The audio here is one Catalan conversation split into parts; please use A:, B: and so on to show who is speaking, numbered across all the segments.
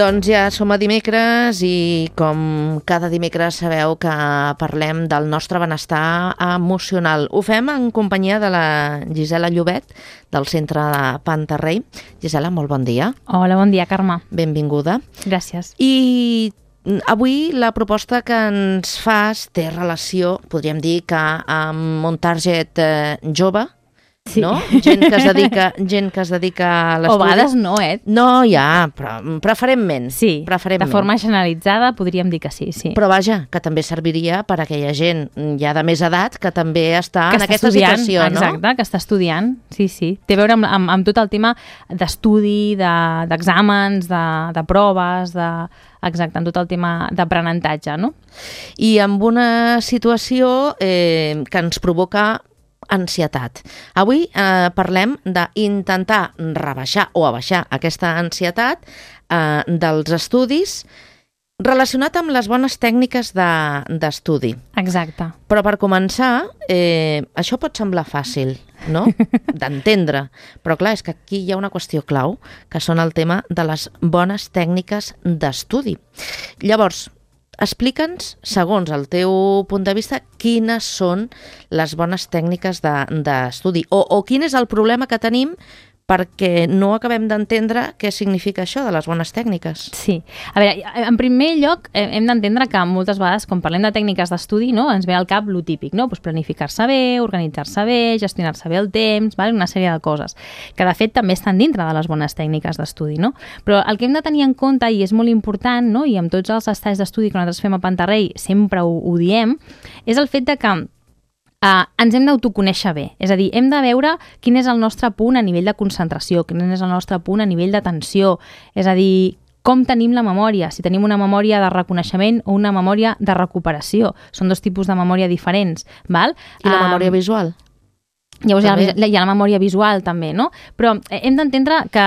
A: Doncs ja som a dimecres i com cada dimecres sabeu que parlem del nostre benestar emocional. Ho fem en companyia de la Gisela Llobet, del Centre de Pantarrey. Gisela, molt bon dia.
B: Hola, bon dia, Carme.
A: Benvinguda.
B: Gràcies.
A: I avui la proposta que ens fas té relació, podríem dir que amb un target jove,
B: sí.
A: No? Gent que es dedica a l'estudi.
B: O a vegades no,
A: No, ja, però preferentment.
B: Sí,
A: preferentment.
B: De forma generalitzada podríem dir que sí.
A: Però vaja, que també serviria per a aquella gent ja de més edat que també està en aquesta
B: estudiant,
A: situació, no?
B: Exacte, que està estudiant, sí. Té a veure amb tot el tema d'estudi, d'exàmens, de proves, exacte, en tot el tema d'aprenentatge, no?
A: I amb una situació que ens provoca ansietat. Avui parlem d'intentar rebaixar o abaixar aquesta ansietat dels estudis relacionat amb les bones tècniques d'estudi.
B: Exacte.
A: Però per començar, això pot semblar fàcil, no? D'entendre. Però clar, és que aquí hi ha una qüestió clau, que són el tema de les bones tècniques d'estudi. Llavors, explica'ns, segons el teu punt de vista, quines són les bones tècniques d'estudi o quin és el problema que tenim perquè no acabem d'entendre què significa això de les bones tècniques.
B: Sí. A veure, en primer lloc, hem d'entendre que moltes vegades, quan parlem de tècniques d'estudi, no, ens ve al cap lo típic, no? Pues planificar-se bé, organitzar-se bé, gestionar-se bé el temps, vale? Una sèrie de coses, que de fet també estan dintre de les bones tècniques d'estudi, no? Però el que hem de tenir en compte, i és molt important, no? I amb tots els estats d'estudi que nosaltres fem a Pantarrey sempre ho diem, és el fet de que ens hem d'autoconèixer bé, és a dir, hem de veure quin és el nostre punt a nivell de concentració, quin és el nostre punt a nivell d'atenció, és a dir, com tenim la memòria, si tenim una memòria de reconeixement o una memòria de recuperació. Són dos tipus de memòria diferents, val?
A: I la memòria visual?
B: Llavors hi ha la memòria visual també, no? Però hem d'entendre que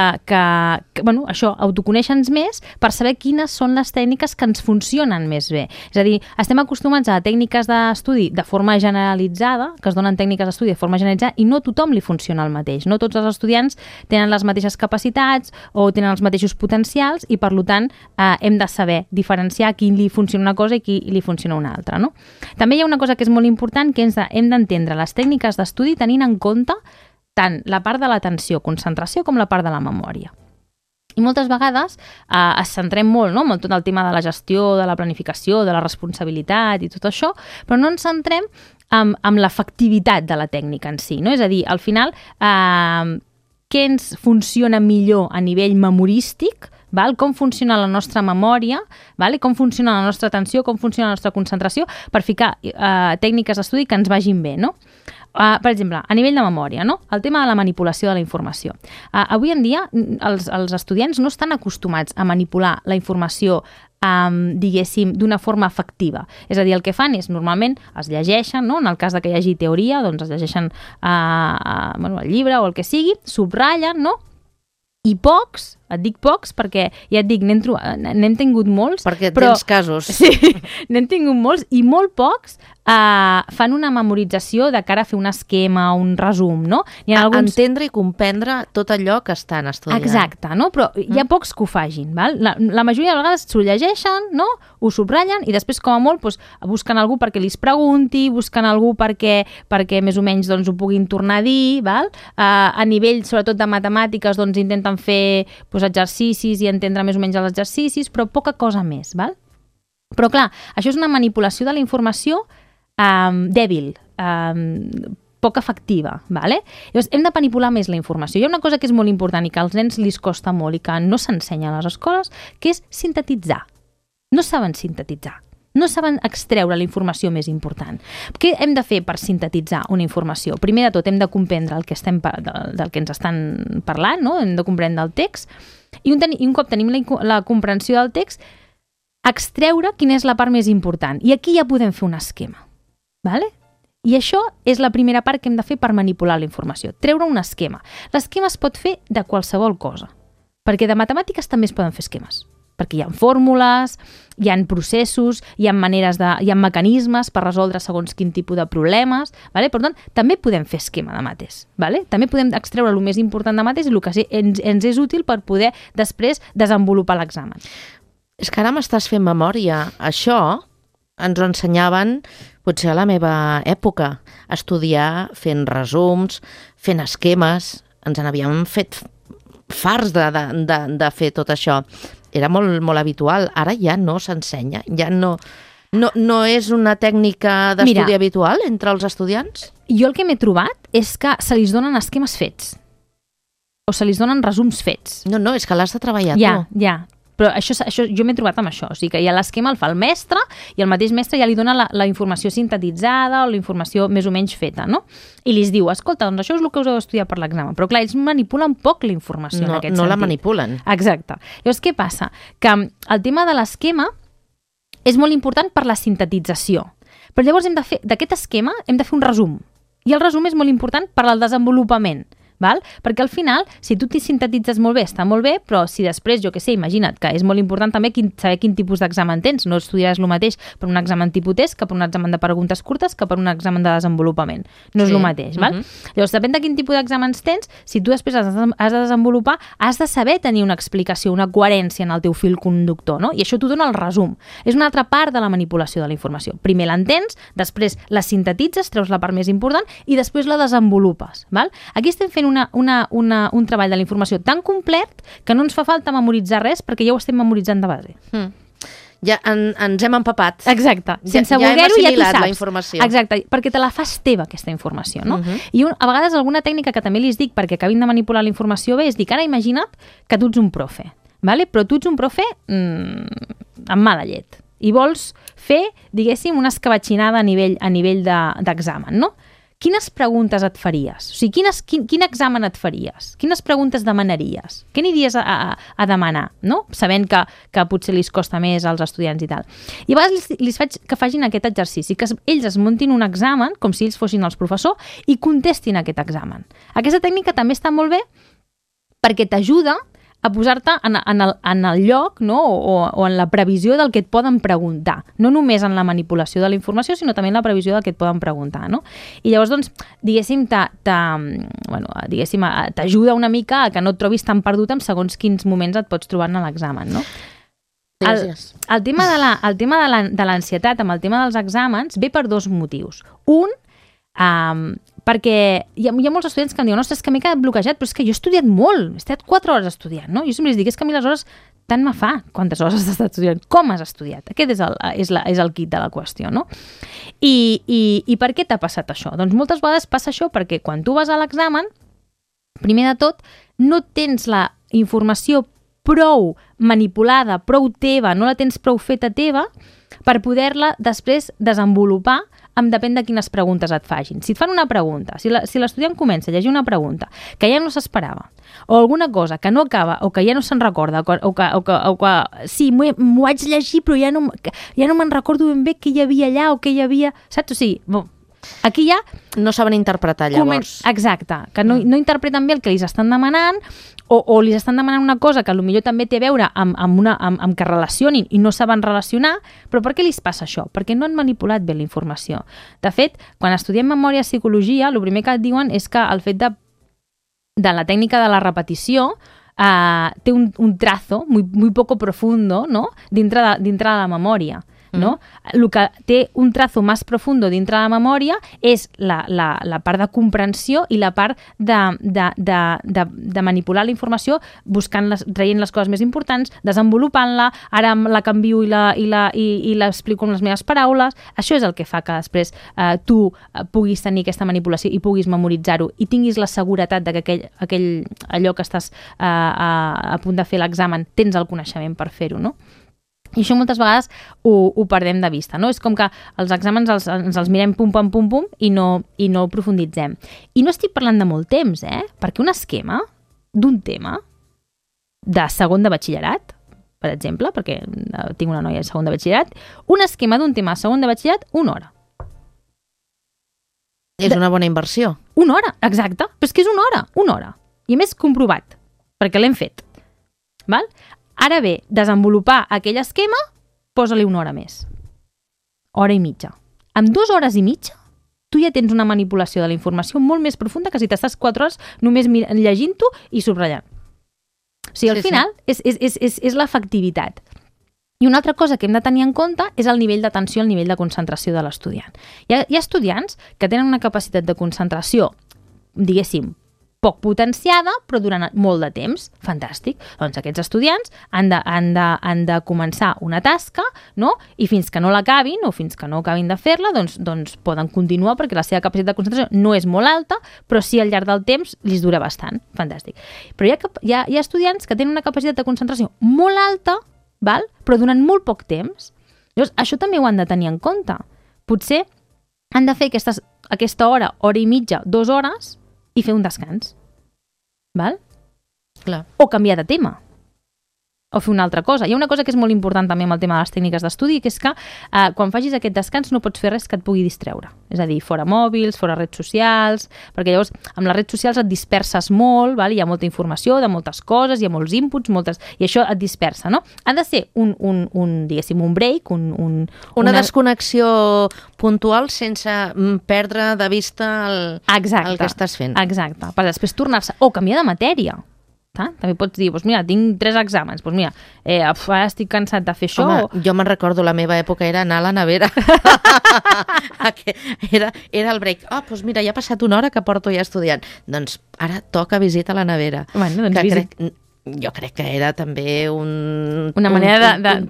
B: bueno, això, autoconèixer-nos més per saber quines són les tècniques que ens funcionen més bé. És a dir, estem acostumats a tècniques d'estudi de forma generalitzada, que es donen tècniques d'estudi de forma generalitzada i no a tothom li funciona el mateix. No tots els estudiants tenen les mateixes capacitats o tenen els mateixos potencials i, per tant, hem de saber diferenciar a qui li funciona una cosa i qui li funciona una altra, no? També hi ha una cosa que és molt important, que hem d'entendre les tècniques d'estudi tenint en compte tant la part de l'atenció, concentració, com la part de la memòria. I moltes vegades es centrem molt, no?, amb tot el tema de la gestió, de la planificació, de la responsabilitat i tot això, però no ens centrem amb l'efectivitat de la tècnica en si, no? És a dir, al final, què ens funciona millor a nivell memorístic, val? Com funciona la nostra memòria, val? Com funciona la nostra atenció, com funciona la nostra concentració, per ficar tècniques d'estudi que ens vagin bé, no? Per exemple, a nivell de memòria, no? El tema de la manipulació de la informació. Avui en dia, els estudiants no estan acostumats a manipular la informació diguéssim, d'una forma efectiva. És a dir, el que fan és, normalment, es llegeixen, no? En el cas de que hi hagi teoria, doncs es llegeixen el llibre o el que sigui, subratllen, no? I pocs, et dic pocs perquè, ja et dic, n'hem tingut molts.
A: Perquè tens casos.
B: Sí, n'hem tingut molts i molt pocs fan una memorització de cara a fer un esquema, un resum, no?
A: Entendre i comprendre tot allò que estan estudiant.
B: Exacte, no? Però hi ha pocs que ho facin, val? La majoria de vegades s'ho llegeixen, no? Ho subratllen i després, com a molt, doncs, busquen algú perquè li pregunti, busquen algú perquè més o menys doncs, ho puguin tornar a dir, val? A nivell, sobretot de matemàtiques, doncs intenten fer exercicis i entendre més o menys els exercicis, però poca cosa més, val? Però clar, això és una manipulació de la informació dèbil, poc efectiva, vale? Llavors, hem de manipular més la informació. Hi ha una cosa que és molt important i que als nens li costa molt i que no s'ensenya a les escoles, que és sintetitzar. No saben sintetitzar. No saben extreure la informació més important. Què hem de fer per sintetitzar una informació? Primer de tot, hem de comprendre del que ens estan parlant, no? Hem de comprendre el text i un cop tenim la comprensió del text, extreure quina és la part més important. I aquí ja podem fer un esquema. Vale? I això és la primera part que hem de fer per manipular la informació, treure un esquema. L'esquema es pot fer de qualsevol cosa, perquè de matemàtiques també es poden fer esquemes. perquè hi ha fórmules, hi ha processos, hi ha mecanismes per resoldre segons quin tipus de problemes, vale? Per tant, també podem fer esquema de mates, vale? També podem extreure el més important de mates i el que ens és útil per poder després desenvolupar l'examen.
A: És que ara m'estàs fent memòria. Això ens ho ensenyaven potser a la meva època, estudiar fent resums, fent esquemes, ens n'havíem fet farts de fer tot això. Era molt, molt habitual. Ara ja no s'ensenya, ja no és una tècnica d'estudi habitual entre els estudiants?
B: Jo el que m'he trobat és que se li donen esquemes fets o se li donen resums fets.
A: No, és que l'has de treballar tu.
B: Ja. Però això jo m'he trobat amb això, o sigui que ja l'esquema el fa el mestre i el mateix mestre ja li dona la informació sintetitzada o la informació més o menys feta, no? I li diu, escolta, doncs això és el que us heu d'estudiar per l'examen. Però clar, ells manipulen poc la informació en aquest sentit.
A: No la manipulen.
B: Exacte. Llavors, què passa? Que el tema de l'esquema és molt important per la sintetització. Però llavors d'aquest esquema hem de fer un resum. I el resum és molt important per al desenvolupament. Val? Perquè al final, si tu t'hi sintetitzes molt bé, està molt bé, però si després, jo què sé, imagina't que és molt important també saber quin tipus d'examen tens. No estudiaràs el mateix per un examen tipus test que per un examen de preguntes curtes que per un examen de desenvolupament. No és el mateix, val? Llavors, depèn de quin tipus d'exàmens tens, si tu després has de desenvolupar, has de saber tenir una explicació, una coherència en el teu fil conductor, no? I això t'ho dona el resum. És una altra part de la manipulació de la informació. Primer l'entens, després la sintetitzes, treus la part més important i després la desenvolupes, val? Aquí estem fent un treball de la informació tan complet que no ens fa falta memoritzar res perquè ja ho estem memoritzant de base.
A: Ja ens hem empapat.
B: Exacte. Sense voler-ho ja tu saps.
A: La informació.
B: Exacte, perquè te la fas teva aquesta informació, no? I a vegades alguna tècnica que també li dic perquè acabin de manipular la informació bé és dir, ara imagina't que tu ets un profe, vale? Però tu ets un profe amb mala llet i vols fer, diguéssim, una escabatxinada a nivell d'examen, no? Quines preguntes et faries? O sigui, quin examen et faries? Quines preguntes demanaries? Què aniries a demanar, no? Sabent que potser li costa més als estudiants i tal. I a vegades li faig que facin aquest exercici, que ells es muntin un examen, com si ells fossin els professors, i contestin aquest examen. Aquesta tècnica també està molt bé perquè t'ajuda a posar-te en el lloc, no? o en la previsió del que et poden preguntar. No només en la manipulació de la informació, sinó també en la previsió del que et poden preguntar. No? I llavors, doncs, diguéssim, t'ajuda una mica a que no et trobis tan perdut en segons quins moments et pots trobar en l'examen. No? El tema de l'ansietat amb el tema dels exàmens ve per dos motius. Un, perquè hi ha molts estudiants que em diuen ostres, és que m'he quedat bloquejat, però és que jo he estudiat molt, he estat 4 hores estudiant, no? Jo sempre els dic, és que a mi les hores tant me fa quantes hores has estat estudiant, com has estudiat? Aquest és el quid de la qüestió, no? I per què t'ha passat això? Doncs moltes vegades passa això perquè quan tu vas a l'examen, primer de tot, no tens la informació prou manipulada, prou teva, no la tens prou feta teva per poder-la després desenvolupar depèn de quines preguntes et facin. Si et fan una pregunta, si l'estudiant comença a llegir una pregunta que ja no s'esperava, o alguna cosa que no acaba, o que ja no se'n recorda, o que sí, m'ho vaig llegir, però ja no me'n recordo ben bé què hi havia allà, o què hi havia... Saps? O sigui, aquí ja...
A: No saben interpretar, llavors.
B: Exacte, que no interpreten bé el que li estan demanant, o li estan demanant una cosa que potser també té a veure amb que relacionin i no saben relacionar, però per què li passa això? Perquè no han manipulat bé la informació. De fet, quan estudiem memòria i psicologia, el primer que et diuen és que el fet de la tècnica de la repetició té un trazo muy poco profundo, no? dintre de la memòria. No? El que té un trazo més profundo dintre de la memòria és la part de comprensió i la part de manipular la informació traient les coses més importants, desenvolupant-la, ara la canvio i l'explico amb les meves paraules. Això és el que fa que després tu puguis tenir aquesta manipulació i puguis memoritzar-ho i tinguis la seguretat de que allò que estàs a punt de fer l'examen tens el coneixement per fer-ho, no? I això moltes vegades ho perdem de vista, no? És com que els exàmens ens els mirem pum, i no profunditzem. I no estic parlant de molt temps, perquè un esquema d'un tema de segon de batxillerat, per exemple, perquè tinc una noia de segon de batxillerat, un esquema d'un tema de segon de batxillerat, 1 hora.
A: És una bona inversió.
B: 1 hora, exacte. Però és que és 1 hora. I a més comprovat, perquè l'hem fet. Val? Ara bé, desenvolupar aquell esquema, posa-li una hora més. Hora i mitja. Amb 2 hores i mitja, tu ja tens una manipulació de la informació molt més profunda que si t'estàs 4 hores només llegint-ho i subratllant. O sigui, al final és l'efectivitat. I una altra cosa que hem de tenir en compte és el nivell d'atenció, el nivell de concentració de l'estudiant. Hi ha estudiants que tenen una capacitat de concentració, diguéssim, poc potenciada, però durant molt de temps. Fantàstic. Doncs aquests estudiants han de començar una tasca, no? I fins que no l'acabin o fins que no acabin de fer-la, doncs poden continuar perquè la seva capacitat de concentració no és molt alta, però sí al llarg del temps li dura bastant. Fantàstic. Però hi ha estudiants que tenen una capacitat de concentració molt alta, val? Però durant molt poc temps. Llavors, això també ho han de tenir en compte. Potser han de fer aquesta hora i mitja, 2 hores, i fer un descans. Val?
A: Clar.
B: O canviar de tema. O fer una altra cosa. Hi ha una cosa que és molt important també amb el tema de les tècniques d'estudi, que és que quan facis aquest descans no pots fer res que et pugui distreure. És a dir, fora mòbils, fora redes socials, perquè llavors amb les redes socials et disperses molt, val? Hi ha molta informació de moltes coses, hi ha molts inputs, i això et dispersa, no? Ha de ser diguéssim, un break,
A: una desconnexió puntual sense perdre de vista el que estàs fent.
B: Exacte. Per després tornar-se, o canviar de matèria. També pots dir, doncs mira, tinc 3 exàmens, doncs mira, ara estic cansat de fer això.
A: Home, jo me'n recordo, la meva època era anar a la nevera. Era el break. Doncs mira, ja ha passat una hora que porto ja estudiant. Doncs ara toca visita a la nevera.
B: Bueno, doncs
A: jo crec que era també un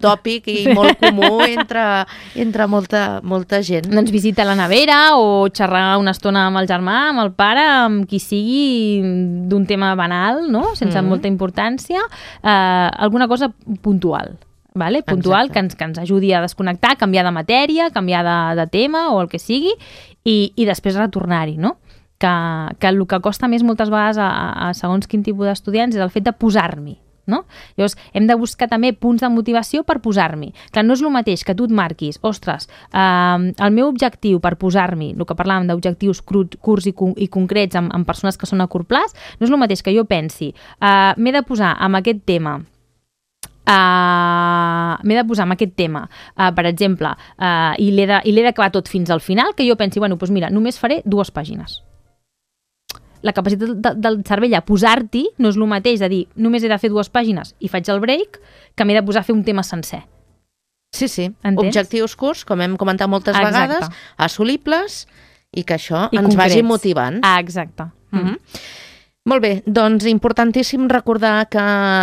A: tòpic i molt comú entre molta gent.
B: Doncs visita la nevera o xerrar una estona amb el germà, amb el pare, amb qui sigui d'un tema banal, no? Sense molta importància, alguna cosa puntual. Vale? Puntual, que ens ajudi a desconnectar, canviar de matèria, canviar de tema o el que sigui, i després retornar-hi, no? Que el que costa més moltes vegades a segons quin tipus d'estudiants és el fet de posar-m'hi, no? Llavors, hem de buscar també punts de motivació per posar-m'hi. Clar, no és el mateix que tu et marquis, ostres, el meu objectiu per posar-m'hi, el que parlàvem d'objectius curts i concrets amb persones que són a curt plaç, no és el mateix que jo pensi, m'he de posar amb aquest tema, per exemple, i l'he d'acabar tot fins al final, que jo pensi, bueno, doncs mira, només faré 2 pàgines. La capacitat del cervell a posar-t'hi no és el mateix de dir només he de fer 2 pàgines i faig el break que m'he de posar a fer un tema sencer.
A: Sí. Entens? Objectius curts, com hem comentat moltes vegades, assolibles i que això ens vagi motivant.
B: Exacte.
A: Molt bé, doncs importantíssim recordar que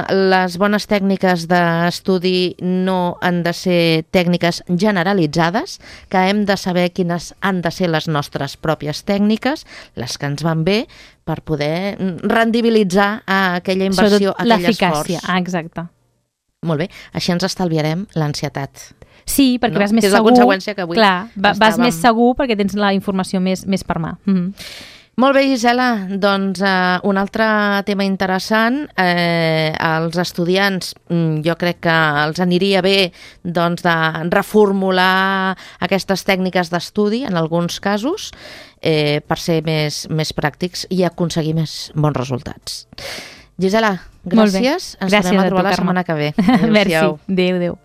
A: les bones tècniques d'estudi no han de ser tècniques generalitzades, que hem de saber quines han de ser les nostres pròpies tècniques, les que ens van bé, per poder rendibilitzar aquella inversió, aquell esforç.
B: L'eficàcia, exacte.
A: Molt bé, així ens estalviarem l'ansietat.
B: Sí, perquè vas més segur.
A: És la conseqüència que avui
B: vas més segur perquè tens la informació més per mà.
A: Molt bé, Gisela, doncs un altre tema interessant, els estudiants jo crec que els aniria bé doncs, de reformular aquestes tècniques d'estudi en alguns casos per ser més pràctics i aconseguir més bons resultats. Gisela, gràcies. Ens tornem a trobar la setmana que ve.
B: Merci. Adéu.